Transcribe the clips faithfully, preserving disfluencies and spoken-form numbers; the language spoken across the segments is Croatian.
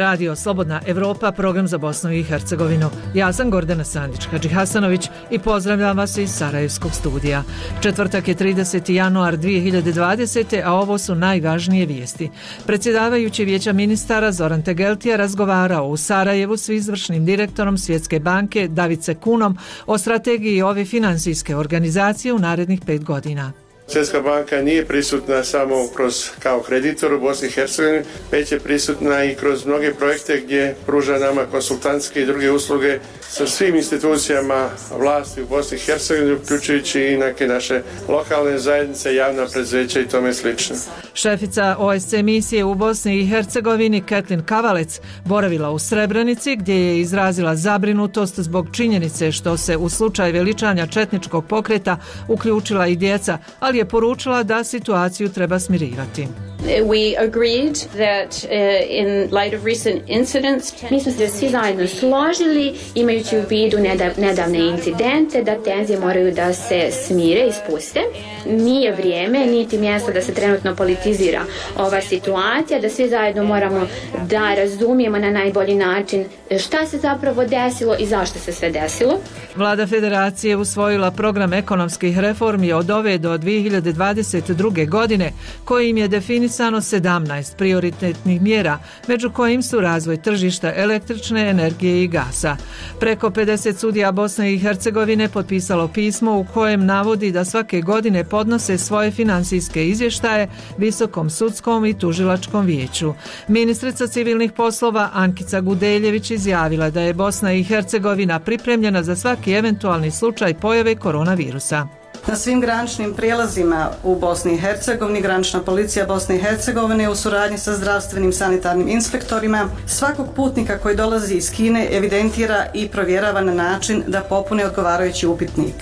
radio Slobodna Evropa, program za Bosnu i Hercegovinu. Ja sam Gordana Sandić-Hadžihasanović i pozdravljam vas iz Sarajevskog studija. Četvrtak je trideseti januar dvije hiljade dvadesete. a ovo su najvažnije vijesti. Predsjedavajući Vijeća ministara Zoran Tegeltija razgovarao u Sarajevu s izvršnim direktorom Svjetske banke Davice Kunom o strategiji ove financijske organizacije u narednih pet godina. Svjetska banka nije prisutna samo kroz kao kreditor u Bosni i Hercegovini, već je prisutna i kroz mnoge projekte gdje pruža nama konsultantske i druge usluge sa svim institucijama vlasti u Bosni i Hercegovini, uključujući i neke naše lokalne zajednice, javna preduzeća i tome slično. Šefica O S C E misije u Bosni i Hercegovini Ketlin Kavalec boravila u Srebrenici gdje je izrazila zabrinutost zbog činjenice što se u slučaju veličanja četničkog pokreta uključila i djeca, ali je poručila da situaciju treba smirivati. We agreed that uh, in light of recent incidents, mi smo se svi zajedno složili, imajući u vidu nedavne incidente, da tenzije moraju da se smire i spuste. Nije vrijeme, niti mjesto da se trenutno politizira ova situacija, da svi zajedno moramo da razumijemo na najbolji način šta se zapravo desilo i zašto se sve desilo. Vlada Federacije usvojila program ekonomskih reformi od ove do dvije hiljade dvadeset druge. godine, kojim je definisano sedamnaest prioritetnih mjera, među kojim su razvoj tržišta električne energije i gasa. Preko pedeset sudija Bosne i Hercegovine potpisalo pismo u kojem navodi da svake godine podnose svoje financijske izvještaje Visokom sudskom i tužilačkom vijeću. Ministrica civilnih poslova Ankica Gudeljević izjavila da je Bosna i Hercegovina pripremljena za svaki eventualni slučaj pojave koronavirusa. Na svim graničnim prijelazima u Bosni i Hercegovini granična policija Bosne i Hercegovine u suradnji sa zdravstvenim sanitarnim inspektorima svakog putnika koji dolazi iz Kine evidentira i provjerava na način da popune odgovarajući upitnik.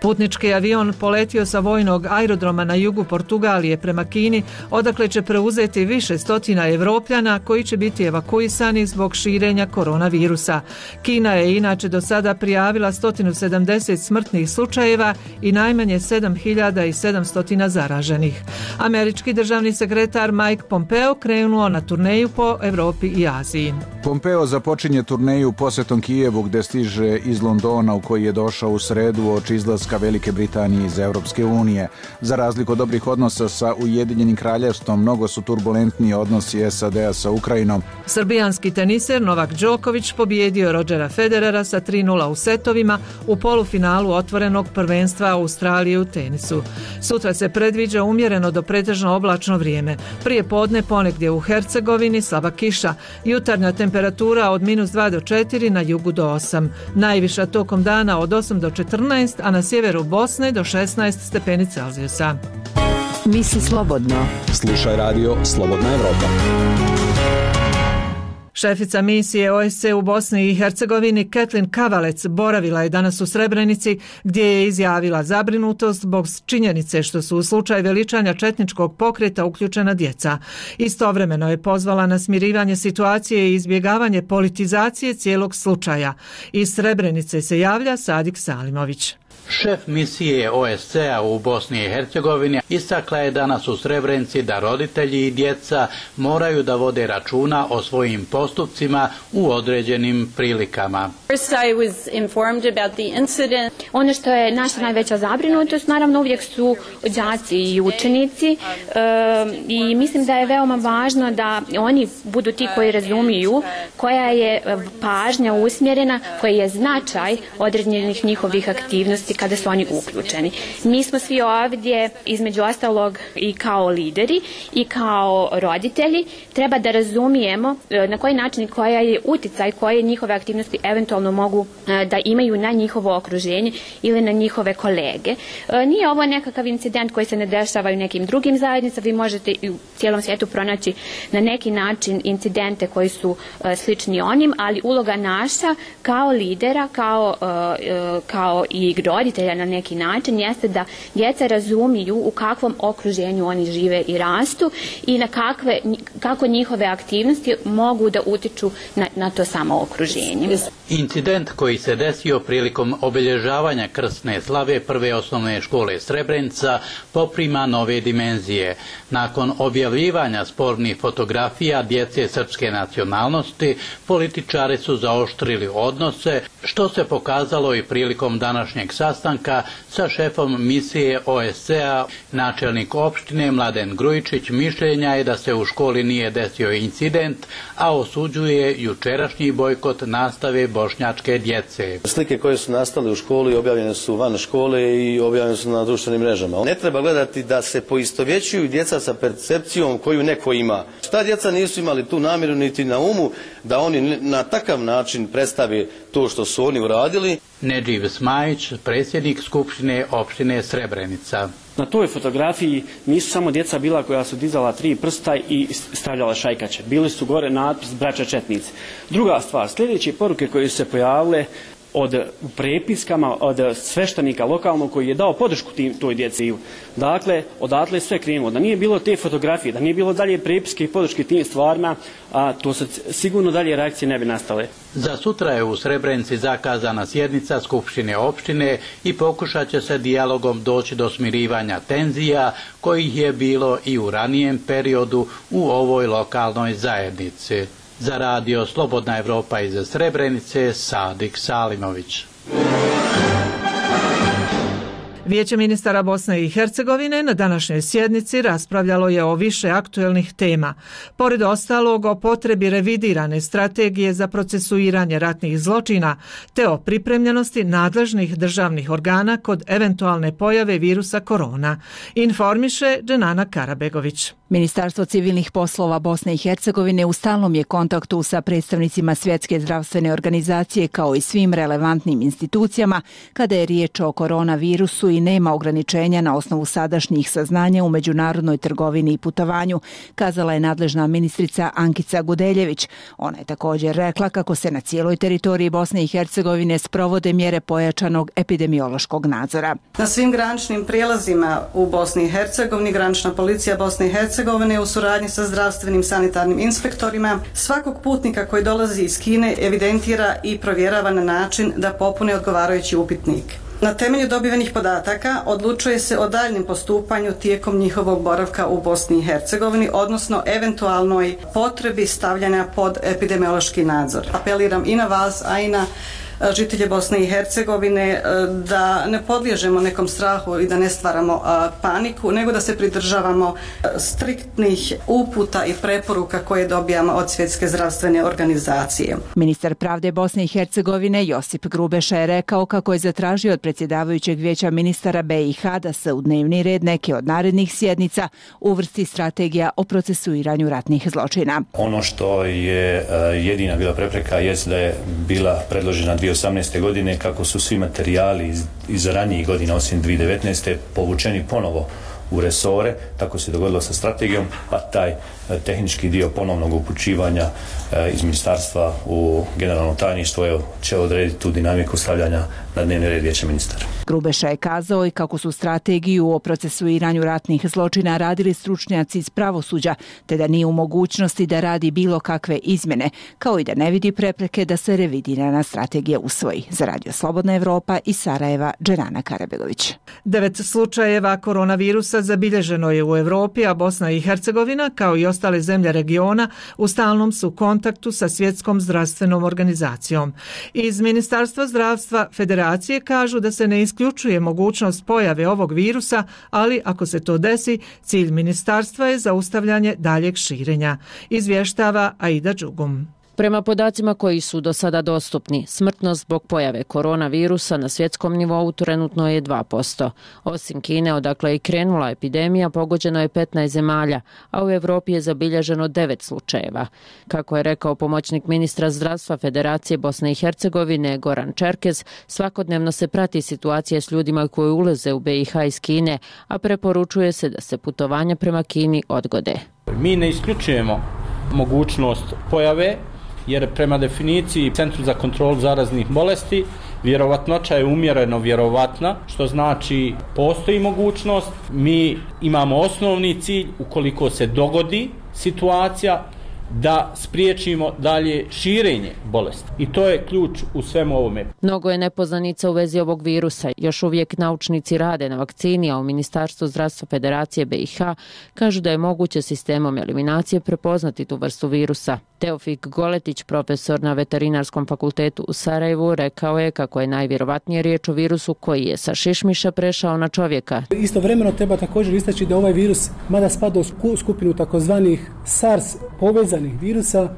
Putnički avion poletio sa vojnog aerodroma na jugu Portugalije prema Kini, odakle će preuzeti više stotina Evropljana koji će biti evakuisani zbog širenja koronavirusa. Kina je inače do sada prijavila sto sedamdeset smrtnih slučajeva i najmanje sedam hiljada sedamsto zaraženih. Američki državni sekretar Mike Pompeo krenuo na turneju po Evropi i Aziji. Pompeo započinje turneju posjetom Kijevu gdje stiže iz Londona u koji je došao u sredu uoči izlaska Velike Britanije iz Europske unije. Za razliku od dobrih odnosa sa Ujedinjenim kraljevstvom, mnogo su turbulentniji odnosi S A D-a sa Ukrajinom. Srbijanski teniser Novak Đoković pobijedio Rodgera Federera sa tri nula u setovima u polufinalu otvorenog prvenstva Australije u tenisu. Sutra se predviđa umjereno do pretežno oblačno vrijeme. Prije podne ponegdje u Hercegovini slaba kiša. Jutarnja temperatura od minus dva do četiri, na jugu do osam. Najviša tokom dana od osam do četrnaest, a na sjeveru Bosne do šesnaest stepeni Celzijusa. Misli slobodno. Slušaj radio Slobodna Evropa. Šefica misije O S C E u Bosni i Hercegovini Ketlin Kavalec boravila je danas u Srebrenici gdje je izjavila zabrinutost zbog činjenice što su u slučaju veličanja četničkog pokreta uključena djeca. Istovremeno je pozvala na smirivanje situacije i izbjegavanje politizacije cijelog slučaja. Iz Srebrenice se javlja Sadik Salimović. Šef misije O S C E-a u Bosni i Hercegovini istakla je danas u Srebrenici da roditelji i djeca moraju da vode računa o svojim postupcima u određenim prilikama. Ono što je naša najveća zabrinutost, naravno uvijek su đaci i učenici e, i mislim da je veoma važno da oni budu ti koji razumiju koja je pažnja usmjerena, koji je značaj određenih njihovih aktivnosti kada su oni uključeni. Mi smo svi ovdje, između ostalog i kao lideri i kao roditelji, treba da razumijemo na koji način i koja je uticaj koje njihove aktivnosti eventualno mogu da imaju na njihovo okruženje ili na njihove kolege. Nije ovo nekakav incident koji se ne dešava u nekim drugim zajednicama. Vi možete u cijelom svijetu pronaći na neki način incidente koji su slični onim, ali uloga naša kao lidera, kao, kao i roditelja na neki način jeste da djeca razumiju u kakvom okruženju oni žive i rastu i na kakve, kako njihove aktivnosti mogu da utiču na, na to samo okruženje. Incident koji se desio prilikom obilježavanja krsne slave prve osnovne škole Srebrenica poprima nove dimenzije. Nakon objavljivanja spornih fotografija djece srpske nacionalnosti, političari su zaoštrili odnose, što se pokazalo i prilikom današnjeg sastanka sa šefom misije O S C A. Načelnik opštine Mladen Grujičić mišljenja je da se u školi nije desio incident, a osuđuje jučerašnji bojkot nastave bošnjačke djece. Slike koje su nastale u školi objavljene su van škole i objavljene su na društvenim mrežama. Ne treba gledati da se poistovjećuju djeca sa percepcijom koju neko ima. Šta djeca nisu imali tu namjeru niti na umu da oni na takav način predstave to što su oni uradili. Nedživ Smajić, predsjednik Skupštine opštine Srebrenica. Na toj fotografiji nisu samo djeca bila koja su dizala tri prsta i stavljala šajkače. Bili su gore natpis braća četnici. Druga stvar, sljedeće poruke koje su se pojavile od prepiskama od sveštenika lokalnog koji je dao podršku tim, toj djeci. Dakle, odatle je sve krenulo. Da nije bilo te fotografije, da nije bilo dalje prepiske i podrške tim stvarima, a to se sigurno dalje reakcije ne bi nastale. Za sutra je u Srebrenici zakazana sjednica Skupštine opštine i pokušat će se dijalogom doći do smirivanja tenzija kojih je bilo i u ranijem periodu u ovoj lokalnoj zajednici. Za radio Slobodna Evropa iz Srebrenice, Sadik Salimović. Vijeće ministara Bosne i Hercegovine na današnjoj sjednici raspravljalo je o više aktuelnih tema. Pored ostalog o potrebi revidirane strategije za procesuiranje ratnih zločina te o pripremljenosti nadležnih državnih organa kod eventualne pojave virusa korona, informiše Dženana Karabegović. Ministarstvo civilnih poslova Bosne i Hercegovine u stalnom je kontaktu sa predstavnicima Svjetske zdravstvene organizacije kao i svim relevantnim institucijama kada je riječ o koronavirusu i nema ograničenja na osnovu sadašnjih saznanja u međunarodnoj trgovini i putovanju, kazala je nadležna ministrica Ankica Gudeljević. Ona je također rekla kako se na cijeloj teritoriji Bosne i Hercegovine sprovode mjere pojačanog epidemiološkog nadzora. Na svim graničnim prijelazima u Bosni i Hercegovini granična policija Bosne i Hercegovine u suradnji sa zdravstvenim sanitarnim inspektorima svakog putnika koji dolazi iz Kine evidentira i provjerava na način da popune odgovarajući upitnik. Na temelju dobivenih podataka odlučuje se o daljnjem postupanju tijekom njihovog boravka u Bosni i Hercegovini, odnosno eventualnoj potrebi stavljanja pod epidemiološki nadzor. Apeliram i na vas, a i na žitelje Bosne i Hercegovine da ne podliježemo nekom strahu i da ne stvaramo paniku, nego da se pridržavamo striktnih uputa i preporuka koje dobijamo od Svjetske zdravstvene organizacije. Ministar pravde Bosne i Hercegovine Josip Grubeša je rekao kako je zatražio od predsjedavajućeg vijeća ministara B i H da se u dnevni red neke od narednih sjednica uvrsti strategija o procesuiranju ratnih zločina. Ono što je jedina bila prepreka jest da je bila predložena dvije tisuće osamnaeste. godine kako su svi materijali iz, iz ranijih godina osim dvije tisuće devetnaeste. povučeni ponovo u resore, tako se dogodilo sa strategijom, pa taj tehnički dio ponovnog upućivanja iz ministarstva u generalno tajništvo evo, će odrediti tu dinamiku stavljanja na dnevni red vijeća ministara. Grubeša je kazao i kako su strategiju o procesuiranju ratnih zločina radili stručnjaci iz pravosuđa, te da nije u mogućnosti da radi bilo kakve izmjene, kao i da ne vidi prepreke da se revidirana strategija usvoji. Za radio Slobodna Evropa iz Sarajeva, Dženana Karabegović. Devet slučajeva koronavirusa zabilježeno je u Evropi, a Bosna i Hercegovina, kao i ostale zemlje regiona, u stalnom su kontaktu sa Svjetskom zdravstvenom organizacijom. Iz Ministarstva zdravstva Federacije kažu da se ne isključuje mogućnost pojave ovog virusa, ali ako se to desi, cilj ministarstva je zaustavljanje daljeg širenja, izvještava Aida Đugum. Prema podacima koji su do sada dostupni, smrtnost zbog pojave koronavirusa na svjetskom nivou trenutno je dva posto. Osim Kine, odakle je krenula epidemija, pogođeno je petnaest zemalja, a u Evropi je zabilježeno devet slučajeva. Kako je rekao pomoćnik ministra zdravstva Federacije Bosne i Hercegovine Goran Čerkez, svakodnevno se prati situacija s ljudima koji ulaze u B i H iz Kine, a preporučuje se da se putovanja prema Kini odgode. Mi ne isključujemo mogućnost pojave, jer prema definiciji Centru za kontrolu zaraznih bolesti Vjerovatnoća je umjereno vjerovatna, što znači postoji mogućnost. Mi imamo osnovni cilj, ukoliko se dogodi situacija, da spriječimo dalje širenje bolesti. I to je ključ u svemu ovome. Mnogo je nepoznanica u vezi ovog virusa. Još uvijek naučnici rade na vakcini, a u Ministarstvu zdravstva Federacije B i H kažu da je moguće sistemom eliminacije prepoznati tu vrstu virusa. Teofik Goletić, profesor na Veterinarskom fakultetu u Sarajevu, rekao je kako je najvjerovatnije riječ o virusu koji je sa šišmiša prešao na čovjeka. Istovremeno treba također istaći da ovaj virus, mada spada u skupinu takozvanih SARS povezanih virusa,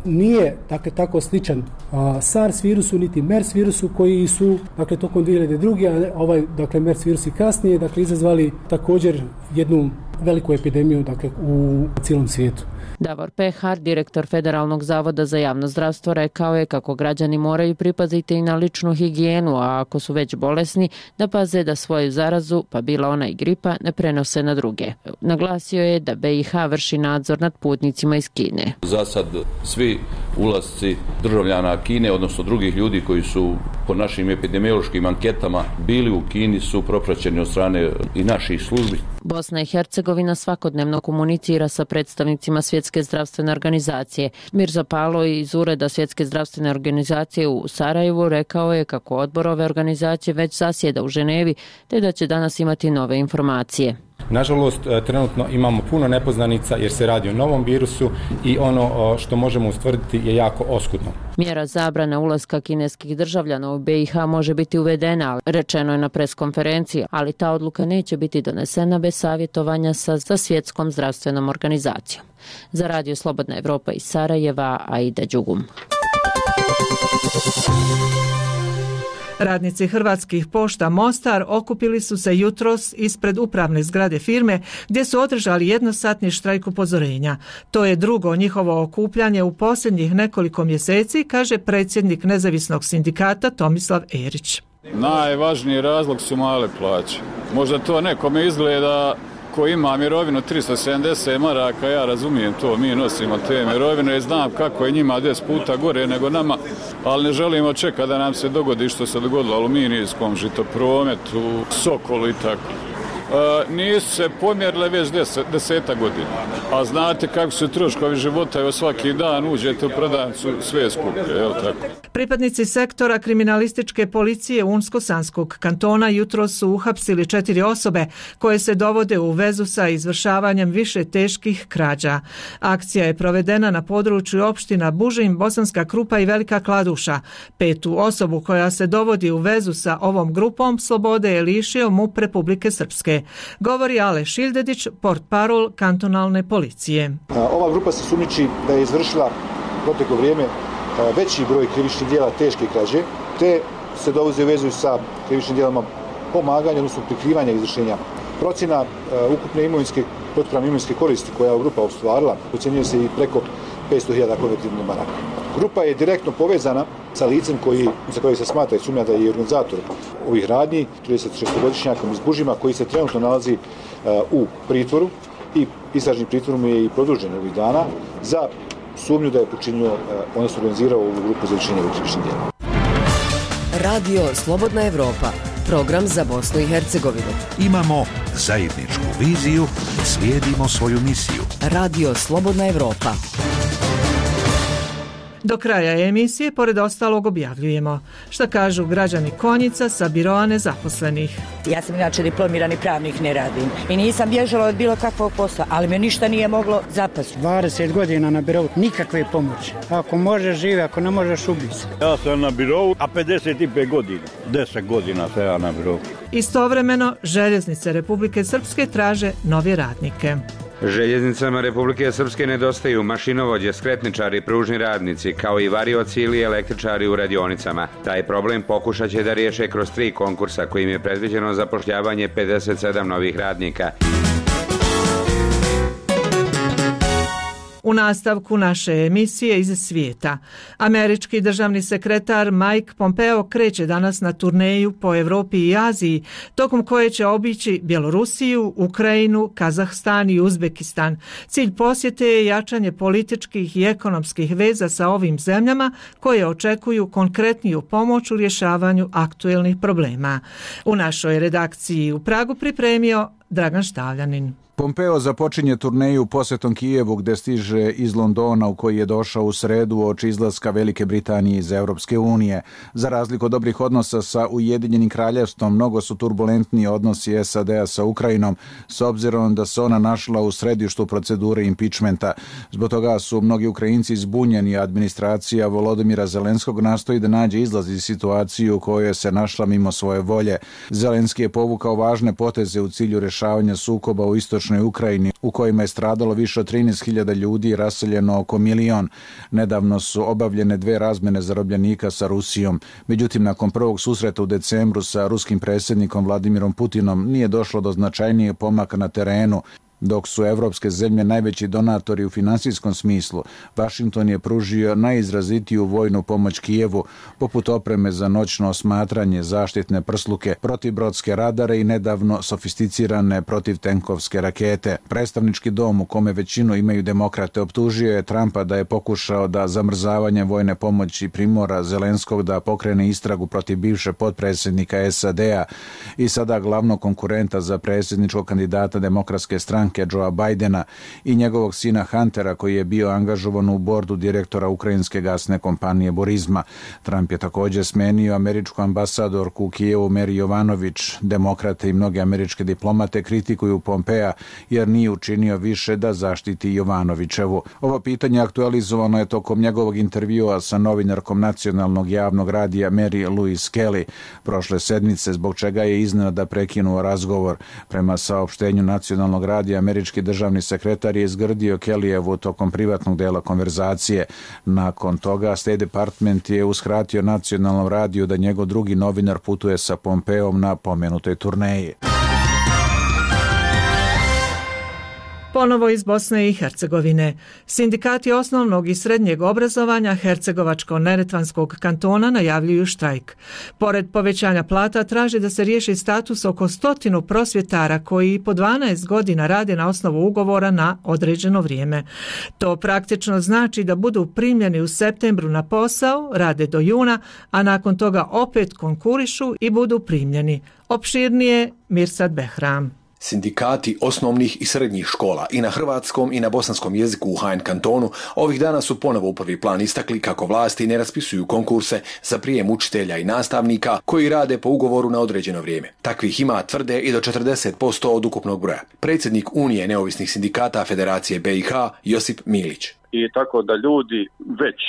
nije dakle, tako sličan a, SARS virusu niti MERS virusu koji su dakle, tokom dvije hiljade druge. a ovaj dakle, MERS virus i kasnije dakle, izazvali također jednu veliku epidemiju dakle, u cijelom svijetu. Davor Pehar, direktor Federalnog zavoda za javno zdravstvo, rekao je kako građani moraju pripaziti i na ličnu higijenu, a ako su već bolesni, da paze da svoju zarazu, pa bila ona i gripa, ne prenose na druge. Naglasio je da B i H vrši nadzor nad putnicima iz Kine. Za sad svi ulasci državljana Kine, odnosno drugih ljudi koji su po našim epidemiološkim anketama bili u Kini, su propraćeni od strane i naših službi. Bosna i Hercegovina svakodnevno komunicira sa predstavnicima Svjetske zdravstvene organizacije. Mirza Palo iz Ureda Svjetske zdravstvene organizacije u Sarajevu rekao je kako odbor ove organizacije već zasjeda u Ženevi, te da će danas imati nove informacije. Nažalost, trenutno imamo puno nepoznanica jer se radi o novom virusu i ono što možemo ustvrditi je jako oskudno. Mjera zabrana ulaska kineskih državljana u B i H može biti uvedena, rečeno je na preskonferenciji, ali ta odluka neće biti donesena bez savjetovanja sa, sa Svjetskom zdravstvenom organizacijom. Za Radio Slobodna Evropa iz Sarajeva, Aida Đugum. Radnici Hrvatskih pošta Mostar okupili su se jutros ispred upravne zgrade firme gdje su održali jednosatni štrajk upozorenja. To je drugo njihovo okupljanje u posljednjih nekoliko mjeseci, kaže predsjednik nezavisnog sindikata Tomislav Erić. Najvažniji razlog su male plaće. Možda to nekome izgleda ko ima mirovinu tristo sedamdeset maraka, ja razumijem to, mi nosimo te mirovine i znam kako je njima deset puta gore nego nama, ali ne želimo čekati da nam se dogodi što se dogodilo Aluminijskom, Žitoprometu, Sokolu i tako. E, nisu se pomjerile već deset, deseta godina, a znate kako su troškovi života, evo svaki dan uđete u prodavnicu sve skuplje, evo tako. Pripadnici sektora kriminalističke policije Unsko-Sanskog kantona jutro su uhapsili četiri osobe koje se dovode u vezu sa izvršavanjem više teških krađa. Akcija je provedena na području opština Bužim, Bosanska Krupa i Velika Kladuša. Petu osobu koja se dovodi u vezu sa ovom grupom slobode je lišio MUP Republike Srpske. Govori Ale Šildedić, portparol kantonalne policije. Ova grupa se sumnjiči da je izvršila proteklo vrijeme veći broj krivičnih djela teške krađe, te se dovode u vezu sa krivičnim djelama pomaganja, odnosno prikrivanja izvršenja. Procjena uh, ukupne imovinske, protupravne imovinske koristi koja je grupa ostvarila, ocjenjuje se i preko petsto hiljada konvertibilnih maraka. Grupa je direktno povezana sa licem koji, za koje se smatra i sumnja da je organizator ovih radnji, tridesetšestogodišnjakom iz Bužima, koji se trenutno nalazi uh, u pritvoru i istražni pritvor mu je i produžen ovih dana za sumnju da je počinio, odnosno organizirao ovu grupu za izvršenje krivičnih djela. Radio Slobodna Evropa, program za Bosnu i Hercegovinu. Imamo zajedničku viziju i slijedimo svoju misiju. Radio Slobodna Evropa. Do kraja emisije, pored ostalog, objavljujemo šta kažu građani Konjica sa biroa nezaposlenih. Ja sam inače diplomirani pravnik, ne radim i nisam bježala od bilo kakvog posla, ali me ništa nije moglo zapasti. dvadeset godina na birovu, nikakve pomoći. Ako možeš živi, ako ne možeš ubiti se. Ja sam na birovu, a pedeset pet godina, deset godina sam ja na birovu. Istovremeno, željeznice Republike Srpske traže nove radnike. Željeznicama Republike Srpske nedostaju mašinovođe, skretničari, pružni radnici, kao i varioci ili električari u radionicama. Taj problem pokušat će da riješe kroz tri konkursa kojim je predviđeno zapošljavanje pedeset sedam novih radnika. U nastavku naše emisije iz svijeta, američki državni sekretar Mike Pompeo kreće danas na turneju po Europi i Aziji, tokom koje će obići Bjelorusiju, Ukrajinu, Kazahstan i Uzbekistan. Cilj posjete je jačanje političkih i ekonomskih veza sa ovim zemljama koje očekuju konkretniju pomoć u rješavanju aktuelnih problema. U našoj redakciji u Pragu pripremio Dragan Štavljanin. Pompeo započinje turneju posjetom Kijevu gdje stiže iz Londona u koji je došao u sredu uoči izlaska Velike Britanije iz Europske unije. Za razliku od dobrih odnosa sa Ujedinjenim kraljevstvom, mnogo su turbulentniji odnosi S A D-a sa Ukrajinom, s obzirom da se ona našla u središtu procedure impičmenta. Zbog toga su mnogi Ukrajinci zbunjeni, a administracija Volodymyra Zelenskog nastoji da nađe izlaz iz situaciju u kojoj se našla mimo svoje volje. Zelenski je povukao važne poteze u cilju rješavanja sukoba u istočnoj Ukrajini, u kojima je stradalo više od trinaest hiljada ljudi i raseljeno oko milion. Nedavno su obavljene dve razmjene zarobljenika sa Rusijom. Međutim, nakon prvog susreta u decembru sa ruskim predsjednikom Vladimirom Putinom nije došlo do značajnijeg pomaka na terenu. Dok su evropske zemlje najveći donatori u finansijskom smislu, Washington je pružio najizrazitiju vojnu pomoć Kijevu, poput opreme za noćno osmatranje, zaštitne prsluke, protibrodske radare i nedavno sofisticirane protivtenkovske rakete. Predstavnički dom, u kome većinu imaju demokrate, optužio je Trumpa da je pokušao da zamrzavanjem vojne pomoći primora Zelenskog da pokrene istragu protiv bivše potpredsjednika S A D-a i sada glavnog konkurenta za predsjedničkog kandidata demokratske stranke Joea Bidena i njegovog sina Huntera, koji je bio angažovan u bordu direktora ukrajinske gasne kompanije Burisma. Trump je također smenio američku ambasadorku u Kijevu Meri Jovanović. Demokrate i mnoge američke diplomate kritikuju Pompea jer nije učinio više da zaštiti Jovanovićevu. Ovo pitanje aktualizovano je tokom njegovog intervjua sa novinarkom nacionalnog javnog radija Mary Louise Kelly prošle sedmice, zbog čega je iznenada prekinuo razgovor. Prema saopštenju nacionalnog radija, američki državni sekretar je izgrdio Kellyjevu tokom privatnog dela konverzacije. Nakon toga State Department je uskratio nacionalnom radiju da njegov drugi novinar putuje sa Pompeom na pomenutoj turneji. Ponovo iz Bosne i Hercegovine. Sindikati osnovnog i srednjeg obrazovanja Hercegovačko-Neretvanskog kantona najavljuju štrajk. Pored povećanja plata traži da se riješi status oko stotinu prosvjetara koji po dvanaest godina rade na osnovu ugovora na određeno vrijeme. To praktično znači da budu primljeni u septembru na posao, rade do juna, a nakon toga opet konkurišu i budu primljeni. Opširnije Mirsad Behram. Sindikati osnovnih i srednjih škola i na hrvatskom i na bosanskom jeziku u H N kantonu ovih dana su ponovo u prvi plan istakli kako vlasti ne raspisuju konkurse za prijem učitelja i nastavnika koji rade po ugovoru na određeno vrijeme. Takvih ima, tvrde, i do četrdeset posto od ukupnog broja. Predsjednik Unije neovisnih sindikata Federacije B i H Josip Milić. I tako da ljudi već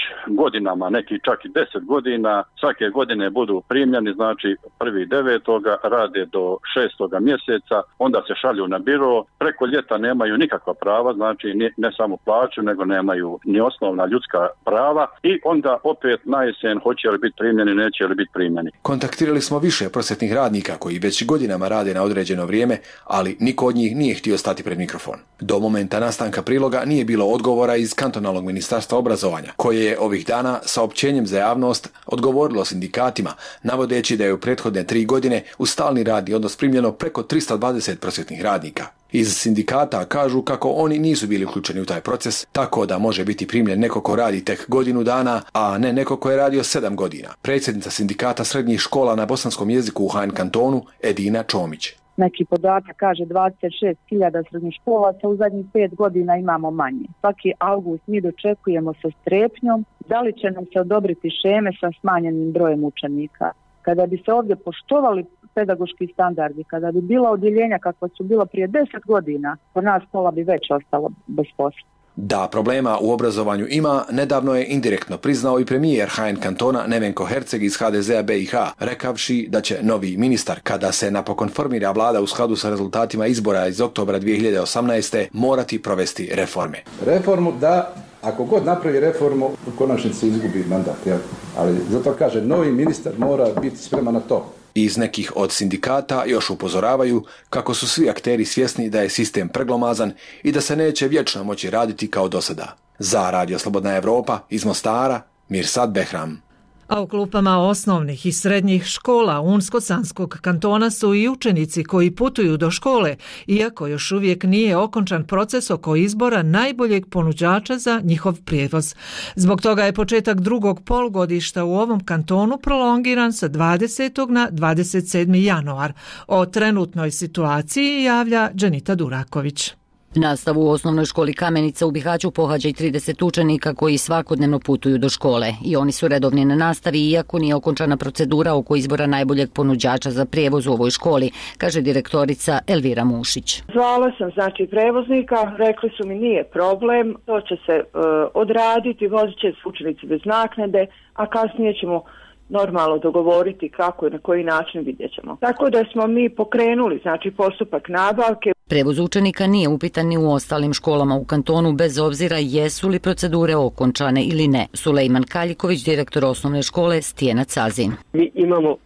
godinama, neki čak i deset godina, svake godine budu primljeni, znači prvi devetoga rade do šestoga mjeseca, onda se šalju na biro, preko ljeta nemaju nikakva prava, znači ne samo plaću, nego nemaju ni osnovna ljudska prava i onda opet na jesen hoće li biti primljeni, neće li biti primljeni. Kontaktirali smo više prosvjetnih radnika koji već godinama rade na određeno vrijeme, ali niko od njih nije htio stati pred mikrofon. Do momenta nastanka priloga nije bilo odgovora iz kantonalnog ministarstva obrazovanja, koje je ovih dana saopćenjem za javnost odgovorilo sindikatima, navodeći da je u prethodne tri godine u stalni radni odnos primljeno preko trista dvadeset prosvjetnih radnika. Iz sindikata kažu kako oni nisu bili uključeni u taj proces, tako da može biti primljen neko ko radi tek godinu dana, a ne neko ko je radio sedam godina. Predsjednica sindikata srednjih škola na bosanskom jeziku u H N kantonu Edina Čomić. Neki podatak kaže dvadeset šest hiljada srednjoškolaca, u zadnjih pet godina imamo manje. Svaki avgust mi dočekujemo sa strepnjom da li će nam se odobriti šeme sa smanjenim brojem učenika. Kada bi se ovdje poštovali pedagoški standardi, kada bi bila odjeljenja kakva su bila prije deset godina, kod nas pola bi već ostalo bez posla. Da problema u obrazovanju ima, nedavno je indirektno priznao i premijer H N kantona Nevenko Herceg iz H D Z-a B i H, rekavši da će novi ministar, kada se napokon formira vlada u skladu sa rezultatima izbora iz oktobra dvije hiljade osamnaeste. morati provesti reforme. Reformu da, ako god napravi reformu, u konačnici izgubi mandat. Jel? Ali zato kaže, novi ministar mora biti spreman na to. Iz nekih od sindikata još upozoravaju kako su svi akteri svjesni da je sistem preglomazan i da se neće vječno moći raditi kao do sada. Za Radio Slobodna Evropa iz Mostara, Mirsad Behram. A u klupama osnovnih i srednjih škola Unsko-Sanskog kantona su i učenici koji putuju do škole, iako još uvijek nije okončan proces oko izbora najboljeg ponuđača za njihov prijevoz. Zbog toga je početak drugog polugodišta u ovom kantonu prolongiran sa dvadesetog na dvadeset sedmi januar. O trenutnoj situaciji javlja Dženita Duraković. Nastavu u osnovnoj školi Kamenica u Bihaću pohađa i trideset učenika koji svakodnevno putuju do škole i oni su redovni na nastavi iako nije okončana procedura oko izbora najboljeg ponuđača za prijevoz u ovoj školi, kaže direktorica Elvira Mušić. Zvala sam znači prevoznika, rekli su mi nije problem, to će se uh, odraditi, vozit će se učenici bez naknade, a kasnije ćemo normalno dogovoriti kako i na koji način vidjet ćemo. Tako da smo mi pokrenuli znači postupak nabavke. Prevoz učenika nije upitan ni u ostalim školama u kantonu bez obzira jesu li procedure okončane ili ne. Sulejman Kaljiković, direktor osnovne škole Stijena Cazin. Mi imamo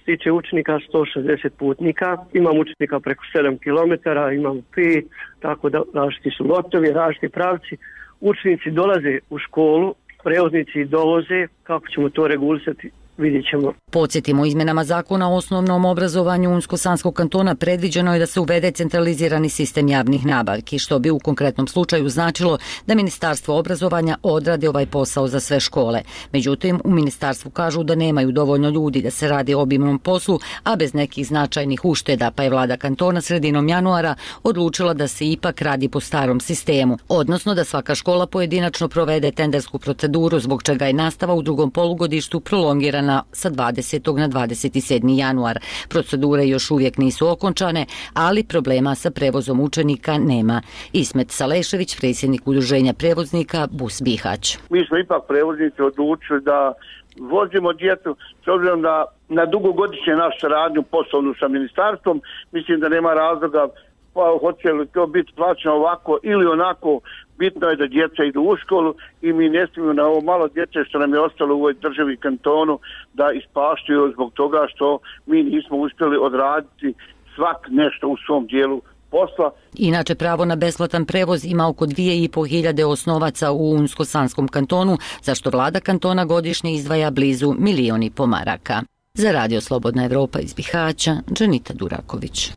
tiče učenika sto šezdeset putnika, imamo učenika preko sedam kilometara, imamo pet, tako da različiti su lotovi, različiti pravci. Učenici dolaze u školu, prevoznici dovoze, kako ćemo to regulisati, vidjet ćemo. Podsjetimo, izmjenama zakona o osnovnom obrazovanju Unsko-Sanskog kantona predviđeno je da se uvede centralizirani sistem javnih nabavki, što bi u konkretnom slučaju značilo da Ministarstvo obrazovanja odradi ovaj posao za sve škole. Međutim, u ministarstvu kažu da nemaju dovoljno ljudi da se radi o obimnom poslu, a bez nekih značajnih ušteda, pa je vlada kantona sredinom januara odlučila da se ipak radi po starom sistemu, odnosno da svaka škola pojedinačno provede tendersku proceduru, zbog čega je nastava u drugom polugodištu prolongirana sa dvadesetog na dvadeset sedmi januar. Procedure još uvijek nisu okončane, ali problema sa prevozom učenika nema. Ismet Salešević, predsjednik udruženja prevoznika Bus Bihać. Mi smo ipak prevoznici odlučili da vozimo djecu, s obzirom da na dugogodišnje našu saradnju poslovnu sa ministarstvom, mislim da nema razloga pa hoće li to biti plaćeno ovako ili onako. Bitno je da djeca idu u školu i mi ne smijemo na ovo malo djece što nam je ostalo u ovoj državi kantonu da ispaštuju zbog toga što mi nismo uspjeli odraditi svak nešto u svom dijelu posla. Inače, pravo na besplatan prevoz ima oko dvije i po hiljade osnovaca u Unsko-Sanskom kantonu, zašto vlada kantona godišnje izdvaja blizu milion i po maraka. Za Radio Slobodna Evropa iz Bihaća, Dženita Duraković.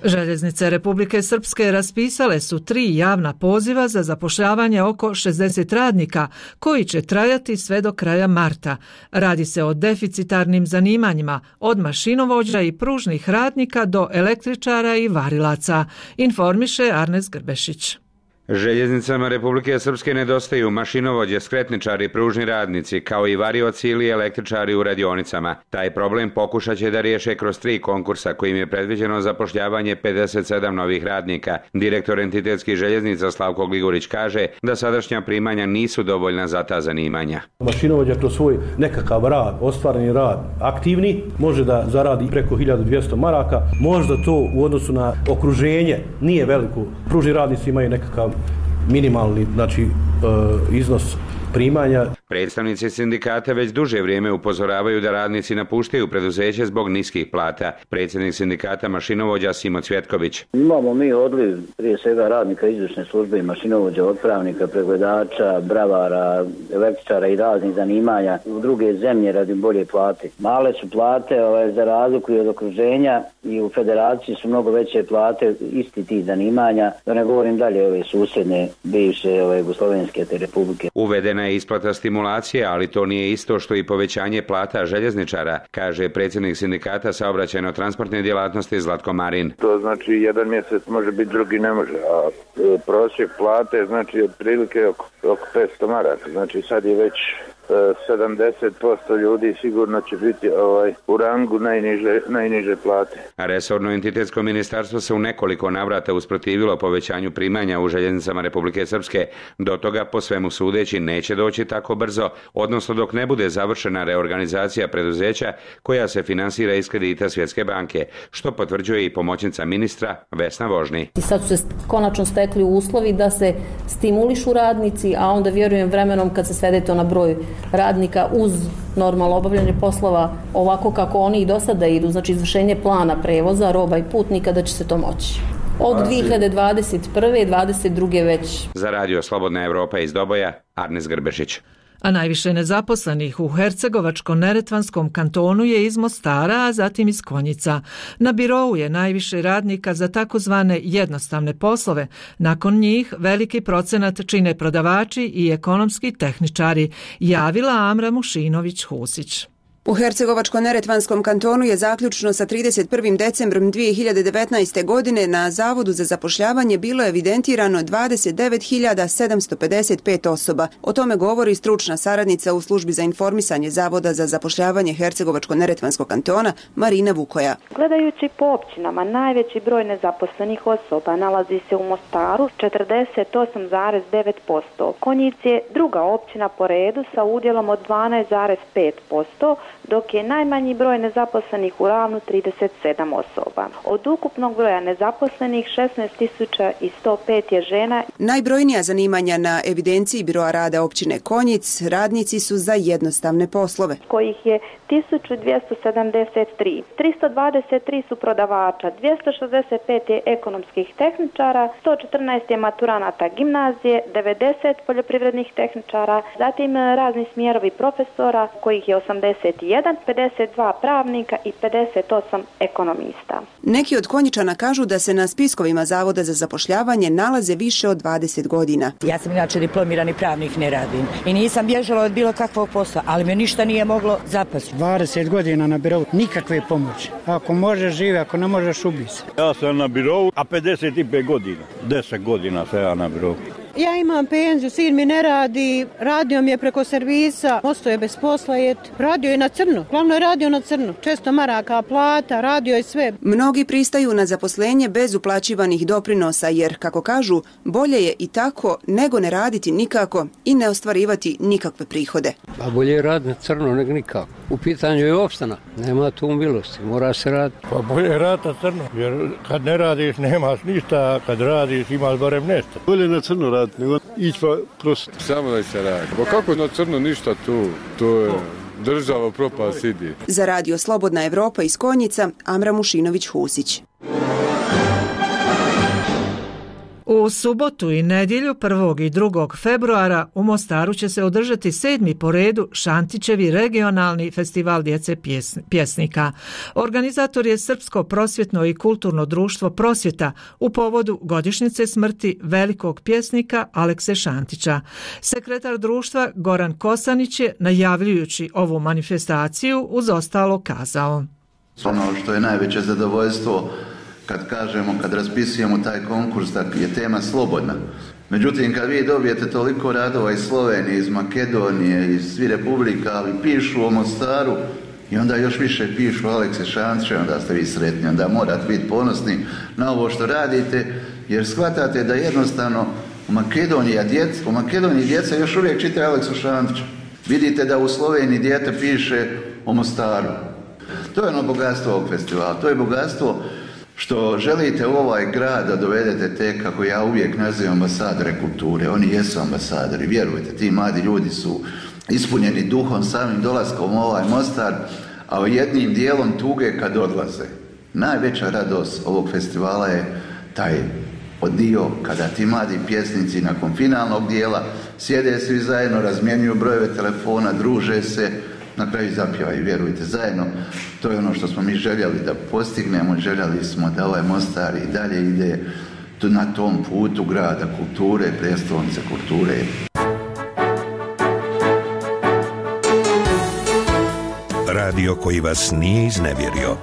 Željeznice Republike Srpske raspisale su tri javna poziva za zapošljavanje oko šezdeset radnika koji će trajati sve do kraja marta. Radi se o deficitarnim zanimanjima od mašinovođa i pružnih radnika do električara i varilaca, informiše Arnes Grbešić. Željeznicama Republike Srpske nedostaju mašinovođe, skretničari, pružni radnici, kao i varioci ili električari u radionicama. Taj problem pokušat će da riješe kroz tri konkursa kojim je predviđeno zapošljavanje pedeset sedam novih radnika. Direktor entitetskih željeznica Slavko Gligorić kaže da sadašnja primanja nisu dovoljna za ta zanimanja. Mašinovođa kroz svoj nekakav rad, ostvareni rad, aktivni, može da zaradi preko hiljadu dvjesto maraka. Možda to u odnosu na okruženje nije veliko. Pružni radnici imaju nekakav minimalni, znači, e, iznos primanja. Predstavnici sindikata već duže vrijeme upozoravaju da radnici napuštaju preduzeće zbog niskih plata. Predsjednik sindikata mašinovođa Simo Cvjetković. Imamo mi odliv prije svega radnika izvršne službe i mašinovođa, otpravnika, pregledača, bravara, električara i raznih zanimanja u druge zemlje radi bolje plate. Male su plate ovaj, za razliku od okruženja i u federaciji su mnogo veće plate isti tih zanimanja. Da ne govorim dalje ove susjedne bivše ove Jugoslovenske te republike. Uvedena je isplata stimulacije, ali to nije isto što i povećanje plata željezničara, kaže predsjednik sindikata saobraćajno-transportne djelatnosti Zlatko Marin. To znači jedan mjesec može biti, drugi ne može, a prosjek plate znači otprilike oko, oko petsto maraka, znači sad je već sedamdeset posto ljudi sigurno će biti ovaj, u rangu najniže, najniže plate. A resorno entitetsko ministarstvo se u nekoliko navrata usprotivilo povećanju primanja u željeznicama Republike Srpske. Do toga, po svemu sudeći, neće doći tako brzo, odnosno dok ne bude završena reorganizacija preduzeća koja se finansira iz kredita Svjetske banke, što potvrđuje i pomoćnica ministra Vesna Vožni. I sad su se konačno stekli uslovi da se stimulišu radnici, a onda vjerujem vremenom kad se svede to na broj radnika uz normalno obavljanje poslova ovako kako oni i do sada idu, znači izvršenje plana prevoza, roba i putnika, da će se to moći. Od dvije hiljade dvadeset prve i dvadeset druge već. Za radio Slobodna Evropa iz Doboja, Arnes Grbešić. A najviše nezaposlenih u Hercegovačko-Neretvanskom kantonu je iz Mostara, a zatim iz Konjica. Na birou je najviše radnika za takozvane jednostavne poslove. Nakon njih veliki procenat čine prodavači i ekonomski tehničari, javila Amra Mušinović-Husić. U Hercegovačko-Neretvanskom kantonu je zaključno sa trideset prvim decembrom dvije hiljade devetnaeste. godine na Zavodu za zapošljavanje bilo evidentirano dvadeset devet hiljada sedamsto pedeset pet osoba. O tome govori stručna saradnica u službi za informisanje Zavoda za zapošljavanje Hercegovačko-Neretvanskog kantona Marina Vukoja. Gledajući po općinama, najveći broj nezaposlenih osoba nalazi se u Mostaru s četrdeset osam zarez devet posto. Konjic je druga općina po redu sa udjelom od dvanaest zarez pet posto, dok je najmanji broj nezaposlenih u Ravnu trideset sedam osoba. Od ukupnog broja nezaposlenih šesnaest tisuća sto pet je žena. Najbrojnija zanimanja na evidenciji Biroa rada općine Konjic radnici su za jednostavne poslove, kojih je tisuću dvjesto sedamdeset tri. tristo dvadeset tri su prodavača, dvjesto šezdeset pet je ekonomskih tehničara, sto četrnaest je maturanata gimnazije, devedeset poljoprivrednih tehničara, zatim razni smjerovi profesora, kojih je osamdeset jedan, pedeset dva pravnika i pedeset osam ekonomista. Neki od Konjičana kažu da se na spiskovima Zavoda za zapošljavanje nalaze više od dvadeset godina. Ja sam inače diplomirani pravnik, ne radim i nisam bježala od bilo kakvog posla, ali me ništa nije moglo zapasti. dvadeset godina na birou, nikakve pomoći. Ako možeš živi, ako ne možeš ubi se. Ja sam na birou, a pedeset pet godina, deset godina sam ja na birou. Ja imam penziju, sin mi ne radi, radio mi je preko servisa, ostao je bez posla, radio je na crno, glavno je radio na crno, često maraka, plata, radio je sve. Mnogi pristaju na zaposlenje bez uplaćivanih doprinosa jer, kako kažu, bolje je i tako nego ne raditi nikako i ne ostvarivati nikakve prihode. Pa bolje je raditi na crno nego nikako. U pitanju je opstana, nema tu milosti, mora se raditi. Pa bolje je raditi na crno, jer kad ne radiš nemaš ništa, a kad radiš imaš barem nešto. Bolje na crno raditi nego ići pa prosto. Samo da se radi. Pa kako na crno ništa tu, to je država propast idi. Za radio Slobodna Evropa iz Konjica, Amra Mušinović-Husić. U subotu i nedjelju prvog i drugog februara u Mostaru će se održati sedmi po redu Šantićevi regionalni festival djece pjesnika. Organizator je Srpsko prosvjetno i kulturno društvo Prosvjeta u povodu godišnjice smrti velikog pjesnika Alekse Šantića. Sekretar društva Goran Kosanić je, najavljujući ovu manifestaciju, uz ostalo kazao: Ono što je najveće zadovoljstvo kad kažemo, kad raspisujemo taj konkurs, da je tema slobodna. Međutim, kad vi dobijete toliko radova iz Slovenije, iz Makedonije, iz svih republika, ali pišu o Mostaru i onda još više pišu o Alekse Šantiću, onda ste vi sretni, onda morate biti ponosni na ovo što radite, jer shvatate da jednostavno u Makedoniji, a djeca, u Makedoniji djeca još uvijek čitaju Aleksu Šantića. Vidite da u Sloveniji dijete piše o Mostaru. To je ono bogatstvo ovog festivala, to je bogatstvo što želite u ovaj grad da dovedete te, kako ja uvijek nazivam, ambasadore kulture. Oni jesu ambasadori, vjerujte, ti mladi ljudi su ispunjeni duhom samim dolaskom u ovaj Mostar, a jednim dijelom tuge kad odlaze. Najveća radost ovog festivala je taj dio kada ti mladi pjesnici nakon finalnog dijela sjede svi zajedno, razmjenjuju brojeve telefona, druže se, na kraju zapjevaju, vjerujte, zajedno. To je ono što smo mi željeli da postignemo, željeli smo da ovaj Mostar i dalje ide na tom putu grada kulture, prijestolnice kulture. Radio koji vas nije iznevjerio.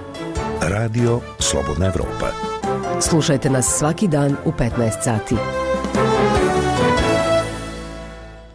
Radio Slobodna Evropa. Slušajte nas svaki dan u petnaest sati.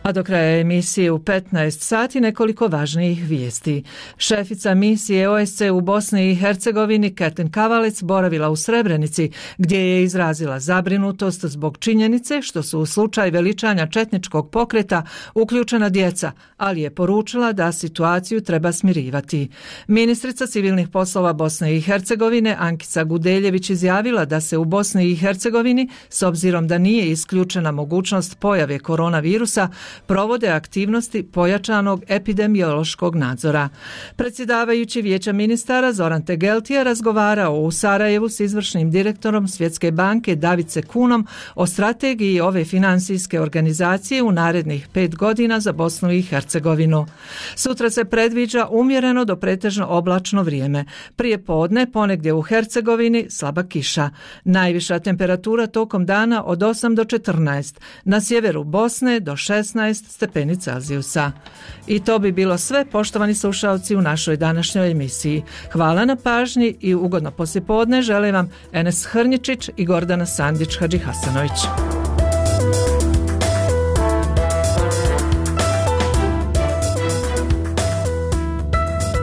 A do kraja emisije u petnaest sati nekoliko važnijih vijesti. Šefica misije O S C u Bosni i Hercegovini Kertin Kavalec boravila u Srebrenici, gdje je izrazila zabrinutost zbog činjenice što su u slučaj veličanja četničkog pokreta uključena djeca, ali je poručila da situaciju treba smirivati. Ministrica civilnih poslova Bosne i Hercegovine Ankica Gudeljević izjavila da se u Bosni i Hercegovini, s obzirom da nije isključena mogućnost pojave koronavirusa, provode aktivnosti pojačanog epidemiološkog nadzora. Predsjedavajući Vijeća ministara Zoran Tegelti je razgovarao u Sarajevu s izvršnim direktorom Svjetske banke Davice Kunom o strategiji ove financijske organizacije u narednih pet godina za Bosnu i Hercegovinu. Sutra se predviđa umjereno do pretežno oblačno vrijeme. Prije podne ponegdje u Hercegovini slaba kiša. Najviša temperatura tokom dana od osam do četrnaest, na sjeveru Bosne do šesnaest stepeni Celzijusa. I to bi bilo sve, poštovani slušalci, u našoj današnjoj emisiji. Hvala na pažnji i ugodno poslijepodne žele vam Enes Hrnjičić i Gordana Sandić Hadžihasanović.